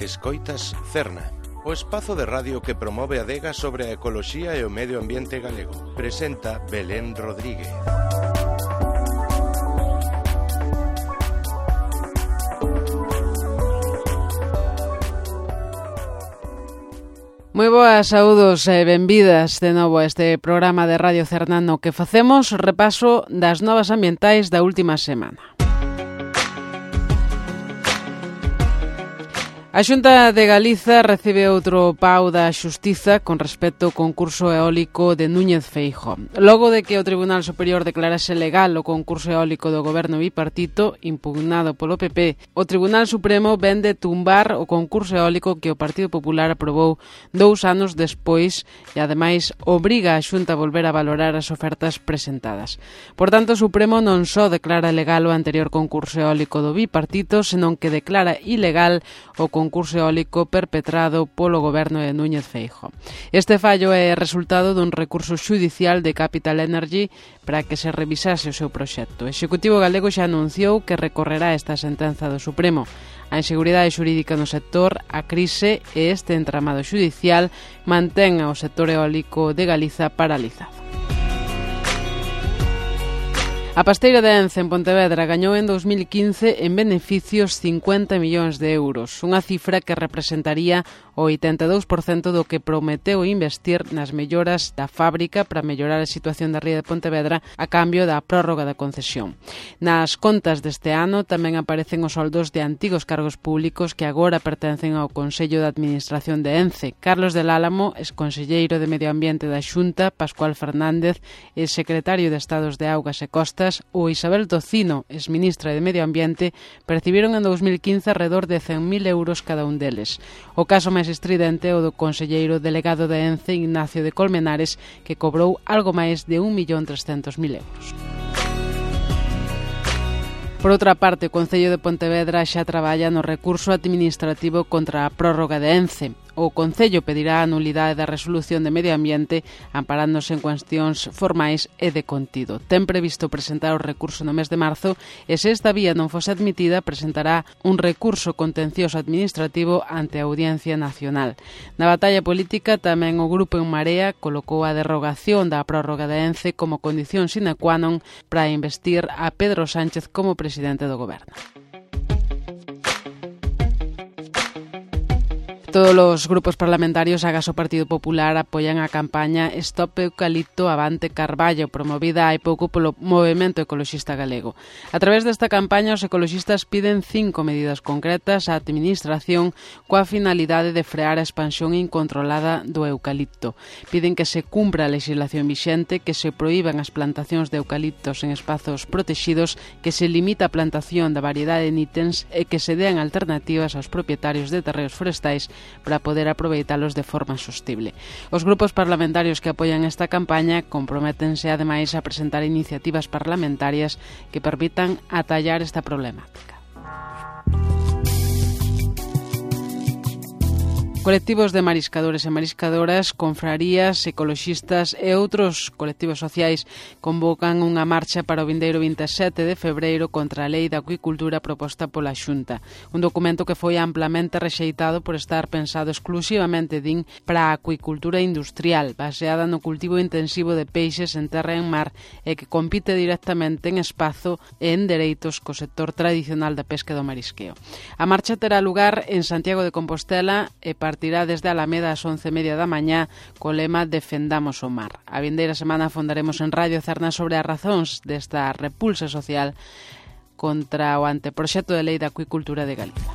Escoitas Cerna, o espazo de radio que promove a adega sobre a ecoloxía e o medio ambiente galego. Presenta Belén Rodríguez. Moi boas, saúdos e benvidas de novo a este programa de Radio Cerna no que facemos repaso das novas ambientais da última semana. A Xunta de Galiza recibe outro pau da Xustiza con respecto ao concurso eólico de Núñez Feijóo. Logo de que o Tribunal Superior declarase legal o concurso eólico do goberno bipartito, impugnado polo PP, o Tribunal Supremo ven de tumbar o concurso eólico que o Partido Popular aprobou 2 anos despois e, ademais, obriga a Xunta a volver a valorar as ofertas presentadas. Por tanto, o Supremo non só declara legal o anterior concurso eólico do bipartito, senón que declara ilegal o concurso eólico perpetrado polo goberno de Núñez Feijóo. Este fallo é resultado dun recurso xudicial de Capital Energy para que se revisase o seu proxecto. O Executivo galego xa anunciou que recorrerá esta sentenza do Supremo. A inseguridade xurídica no sector, a crise e este entramado xudicial mantén ao sector eólico de Galiza paralizado. A Pasteira de Ence, en Pontevedra, gañou en 2015 en beneficios 50 millóns de euros, unha cifra que representaría o 82% do que prometeu investir nas melloras da fábrica para mellorar a situación da ría de Pontevedra a cambio da prórroga da concesión. Nas contas deste ano tamén aparecen os soldos de antigos cargos públicos que agora pertencen ao Consello de Administración de Ence. Carlos del Álamo, exconselleiro de Medio Ambiente da Xunta, Pascual Fernández, exsecretario de Estados de Augas e Costas, ou Isabel Tocino, exministra de Medio Ambiente, percibiron en 2015 alrededor de 100.000 euros cada un deles. O caso máis estridente é o do conselleiro delegado de Ence, Ignacio de Colmenares, que cobrou algo máis de 1.300.000 euros. Por outra parte, o Concello de Pontevedra xa traballa no recurso administrativo contra a prórroga de Ence. O Concello pedirá a nulidade da resolución de Medio Ambiente amparándose en cuestións formais e de contido. Ten previsto presentar o recurso no mes de marzo e, se esta vía non fose admitida, presentará un recurso contencioso administrativo ante a Audiencia Nacional. Na batalla política, tamén o Grupo En Marea colocou a derrogación da prórroga de Ence como condición sine qua non para investir a Pedro Sánchez como presidente do goberno. Todos os grupos parlamentarios, agás o Partido Popular, apoian a campaña Stop Eucalipto Avante Carballo, promovida hai pouco polo Movemento Ecoloxista Galego. A través desta campaña, os ecoloxistas piden 5 medidas concretas á administración coa finalidade de frear a expansión incontrolada do eucalipto. Piden que se cumpra a legislación vixente, que se proíban as plantacións de eucaliptos en espazos protexidos, que se limita a plantación da variedade de nítens e que se dean alternativas aos propietarios de terreos forestais para poder aproveitalos de forma sostible. Os grupos parlamentarios que apoian esta campaña comprométense ademais a presentar iniciativas parlamentarias que permitan atallar esta problemática. Colectivos de mariscadores e mariscadoras, confrarías, ecoloxistas e outros colectivos sociais convocan unha marcha para o vindeiro 27 de febreiro contra a Lei da Acuicultura proposta pola Xunta. Un documento que foi amplamente rexeitado por estar pensado exclusivamente, din, para a acuicultura industrial, baseada no cultivo intensivo de peixes en terra e en mar e que compite directamente en espazo e en dereitos co sector tradicional da pesca e do marisqueo. A marcha terá lugar en Santiago de Compostela e partirá desde Alameda ás 11:30 da mañá co lema Defendamos o mar. A vindeira semana fondaremos en Radio Cerna sobre as razóns desta repulsa social contra o anteproxecto de lei da acuicultura de Galiza.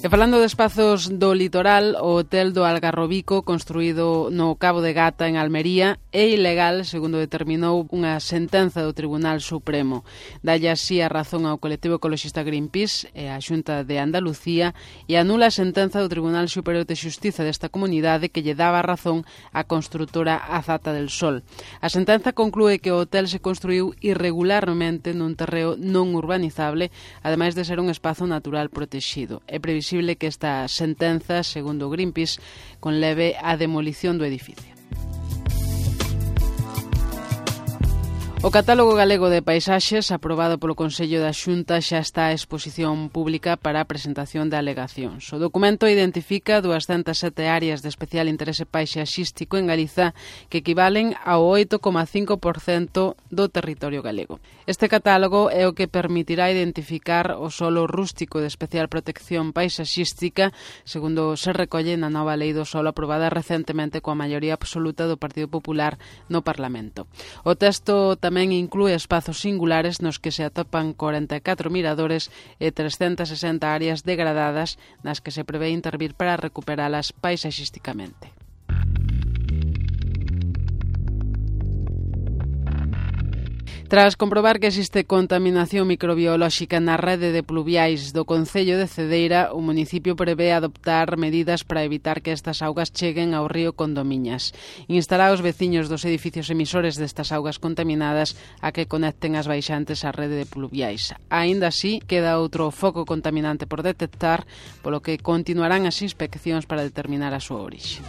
E falando de espazos do litoral, o hotel do Algarrobico, construído no Cabo de Gata, en Almería, é ilegal, segundo determinou unha sentenza do Tribunal Supremo. Dalle así a razón ao colectivo ecoloxista Greenpeace e á Xunta de Andalucía e anula a sentenza do Tribunal Superior de Xustiza desta comunidade que lle daba razón á construtora Azata del Sol. A sentenza conclúe que o hotel se construiu irregularmente nun terreo non urbanizable, ademais de ser un espazo natural protexido. É previsible que esta sentenza, segundo Greenpeace, conleve a demolición do edificio. O Catálogo Galego de Paisaxes, aprobado polo Consello da Xunta, xa está a exposición pública para a presentación de alegacións. O documento identifica 207 áreas de especial interese paisaxístico en Galiza que equivalen ao 8,5% do territorio galego. Este catálogo é o que permitirá identificar o solo rústico de especial protección paisaxística, segundo se recolle na nova lei do solo aprobada recentemente coa maioría absoluta do Partido Popular no Parlamento. O texto tamén inclúe espazos singulares nos que se atopan 44 miradores e 360 áreas degradadas nas que se prevé intervir para recuperalas paisaxísticamente. Tras comprobar que existe contaminación microbiolóxica na rede de pluviais do Concello de Cedeira, o municipio prevé adoptar medidas para evitar que estas augas cheguen ao río Condomiñas. Instará aos veciños dos edificios emisores destas augas contaminadas a que conecten as baixantes á rede de pluviais. Aínda así, queda outro foco contaminante por detectar, polo que continuarán as inspeccións para determinar a súa orixe.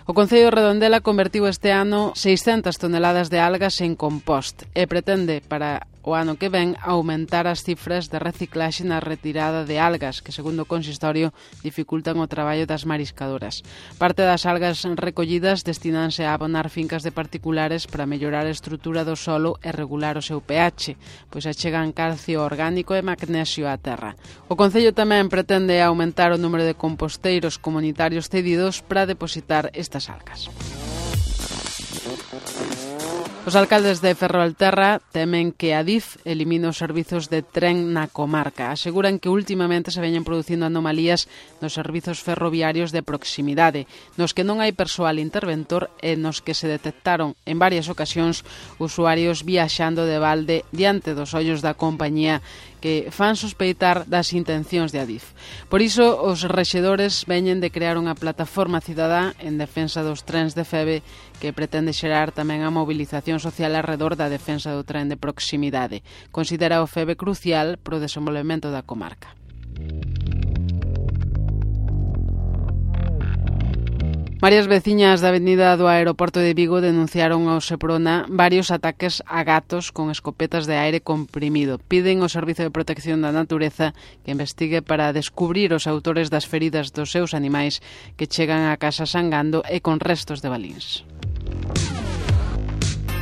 O Concello de Redondela convertiu este ano 600 toneladas de algas en compost e pretende, para o ano que ven, aumentar as cifras de reciclaxe na retirada de algas, que, segundo o consistorio, dificultan o traballo das mariscadoras. Parte das algas recollidas destinanse a abonar fincas de particulares para mellorar a estrutura do solo e regular o seu pH, pois achegan calcio orgánico e magnesio á terra. O Concello tamén pretende aumentar o número de composteiros comunitarios cedidos para depositar estas algas. Os alcaldes de Ferrolterra temen que Adif elimine os servizos de tren na comarca. Aseguran que últimamente se veñen producindo anomalías nos servizos ferroviarios de proximidade, nos que non hai persoal interventor e nos que se detectaron en varias ocasións usuarios viaxando de balde diante dos ollos da compañía que fan sospeitar das intencións de Adif. Por iso, os rexedores veñen de crear unha plataforma cidadá en defensa dos trens de Feve que pretende xerar tamén a mobilización social arredor da defensa do tren de proximidade. Considera o Feve crucial para o desenvolvemento da comarca. Varias veciñas da avenida do aeroporto de Vigo denunciaron ao Seprona varios ataques a gatos con escopetas de aire comprimido. Piden ao Servizo de Protección da Natureza que investigue para descubrir os autores das feridas dos seus animais que chegan á casa sangando e con restos de balíns.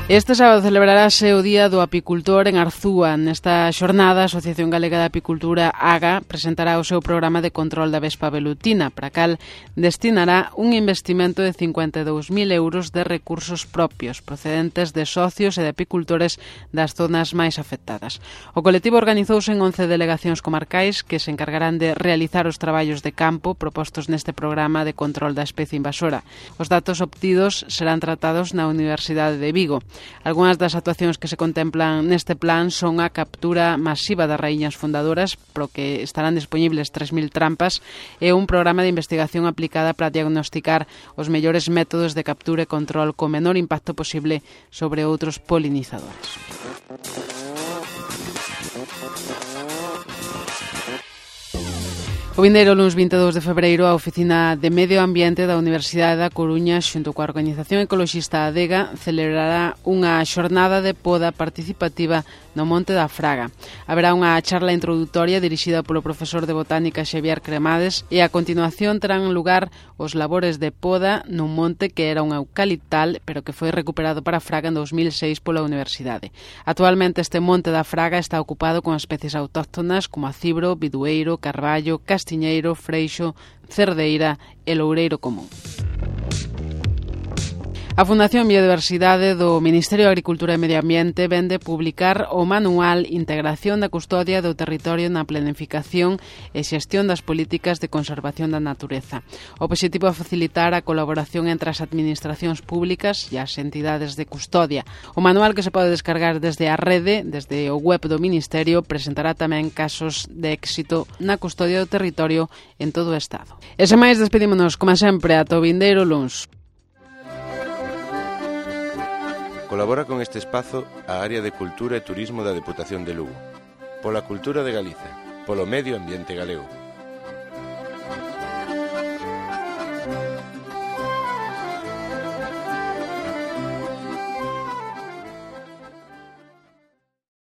Este sábado celebrarase o Día do Apicultor en Arzúa. Nesta xornada, a Asociación Galega de Apicultura, AGA, presentará o seu programa de control da vespa velutina, para cal destinará un investimento de 52.000 euros de recursos propios, procedentes de socios e de apicultores das zonas máis afectadas. O colectivo organizouse en 11 delegacións comarcais que se encargarán de realizar os traballos de campo propostos neste programa de control da especie invasora. Os datos obtidos serán tratados na Universidade de Vigo. Algunhas das actuacións que se contemplan neste plan son a captura masiva das raíñas fundadoras, pro que estarán disponibles 3.000 trampas, e un programa de investigación aplicada para diagnosticar os mellores métodos de captura e control co menor impacto posible sobre outros polinizadores. O vindeiro luns 22 de febreiro, a Oficina de Medio Ambiente da Universidade da Coruña, xunto coa Organización Ecoloxista Adega, celebrará unha xornada de poda participativa no Monte da Fraga. Haberá unha charla introdutoria dirixida polo profesor de Botánica Xavier Cremades e a continuación terán lugar os labores de poda nun monte que era un eucaliptal, pero que foi recuperado para Fraga en 2006 pola Universidade. Actualmente este Monte da Fraga está ocupado con especies autóctonas como a cibro, bidueiro, carballo, castiñeiro, freixo, cerdeira e loureiro común. A Fundación Biodiversidade do Ministerio de Agricultura e Medio Ambiente vende publicar o manual Integración da Custodia do Territorio na Planificación e Xestión das Políticas de Conservación da Natureza. O obxectivo é facilitar a colaboración entre as administracións públicas e as entidades de custodia. O manual, que se pode descargar desde a rede, desde o web do Ministerio, presentará tamén casos de éxito na custodia do territorio en todo o Estado. E sen máis, despedímonos, como sempre, ata o vindeiro luns. Colabora con este espazo a Área de Cultura e Turismo da Deputación de Lugo. Pola cultura de Galiza, polo medio ambiente galego.